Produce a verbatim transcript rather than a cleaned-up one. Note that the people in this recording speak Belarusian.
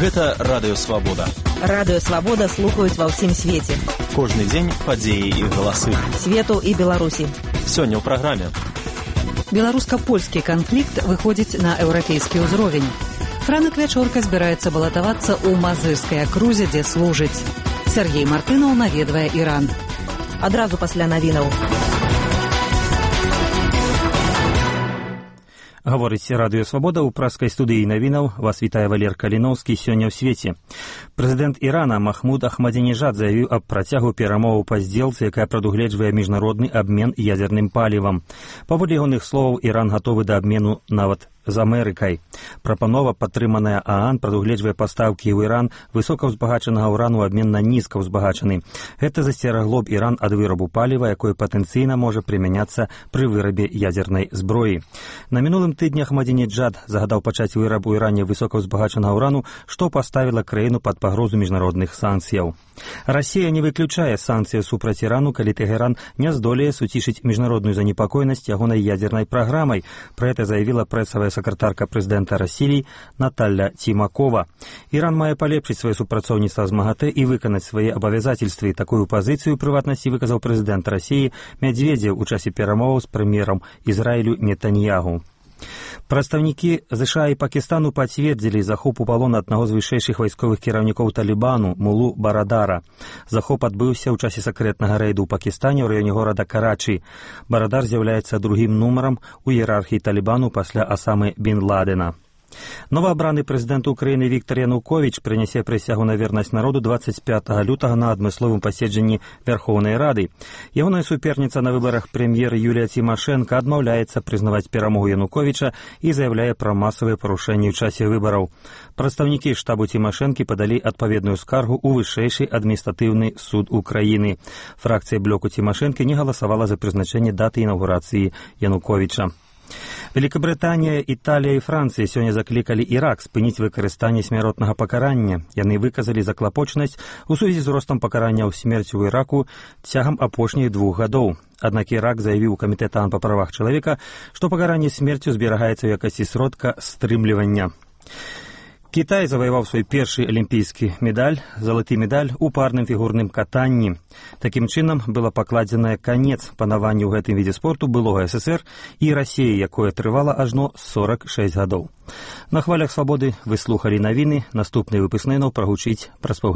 Гэта Радыё Свабода. Радыё Свабода слухаюць ва ўсім свеце. Кожны дзень падзеі і галасы. Свету і Беларусі. Сёння ў праграме. Беларуска-польскі канфлікт выходзіць на еўрапейскі ўзровень. Франак Вячорка збіраецца балатавацца ў Мазырскай акрузе, дзе служыць. Сергей Мартынаў наведвае Іран. Адразу пасля навінаў. Гаворыць Радыё Свабода ў праскай студыі навінаў. Вас вітае Валер Каліноўскі. Сёння ў свеце. Прэзідэнт Ірана Махмуд Ахмадзінежад заявіў аб працягу перамоваў па здзелцы, якая прадугледжвае міжнародны абмен ядзерным палівам. Паводле ягоных словаў, Іран гатовы да абмену нават з Амерыкай. Прапанова, падтрыманая ААН, прадугледжвае пастаўкі ў Іран высокаўзбагачанага ўрану ў абмен на нізкаўзбагачаны. Гэта засцерагло б Іран ад вырабу паліва, якое патэнцыйна можа прымяняцца пры вырабе ядзернай зброі. На мінулым тыдні Ахмадзінеджад загадаў пачаць выраб у Іране высокаўзбагачанага ўрану, што паставіла краіну пад пагрозу міжнародных санкцыяў. Расія не выключае санкцыі супраць Ірану, калі Тэгеран не здолее суцішыць міжнародную занепакоенасць ягонай ядзернай праграмай. Пра гэта заявіла прэсавая сакратарка прэзідэнта Расіі Наталля Цімакова. Іран мае палепшыць сваё супрацоўніцтва з МАГАТЭ і выканаць свае абавязацельствы. Такую пазіцыю, прыватнасці, выказаў прэзідэнт Расіі Мядзведзеў у часе перамоваў з прэм'ерам Ізраілю Нетаньягу. Прадстаўнікі ЗША і Пакістану пацвердзілі захоп у палон аднаго з вышэйшых вайсковых кіраўнікоў Талібану Мулу Барадара. Захоп адбыўся ў часе сакрэтнага рэйду ў Пакістане ў раёне горада Карачы. Барадар з'яўляецца другім нумарам у іерархіі Талібану пасля Асамы Бін Ладена. Новаабраны прэзідэнт Украіны Віктар Януковіч прынясе прысягу на вернасць народу дваццаць пятага лютага на адмысловым паседжанні Вярхоўнай Рады. Ягоная суперніца на выбарах прэм'ер Юлія Цімашэнка адмаўляецца прызнаваць перамогу Януковіча і заяўляе пра масавыя парушэнні ў часе выбараў. Прадстаўнікі штабу Цімашэнкі падалі адпаведную скаргу ў вышэйшы адміністратыўны суд Украіны. Фракцыя блоку Цімашэнкі не галасавала за прызначэнне даты інаўгурацыі Януковіча. Великабрытанія, Італія і Францыя сёння заклікалі Ірак спыніць выкарыстанне смяротнага пакарання. Яны выказалі заклапочанасць у сувязі з ростам пакарання ў смерці ў Іраку цягам апошніх двух гадоў. Аднак Ірак заявіў у камітэт ААН па правах чалавека, што пакаранне смерцю зберагаецца ў якасці сродка стрымлівання. Кітай заваяваў свой першы алімпійскі медаль, залаты медаль у парным фігурным катанні. Такім чынам была пакладзеная канец панаванню ў гэтым відзе спорту былога СССР і Расіі, якое трывала ажно сорак шэсць гадоў. На хвалях Свабоды вы слухалі навіны. Наступны выпуск навінаў прагучыць праз паўгадзіны.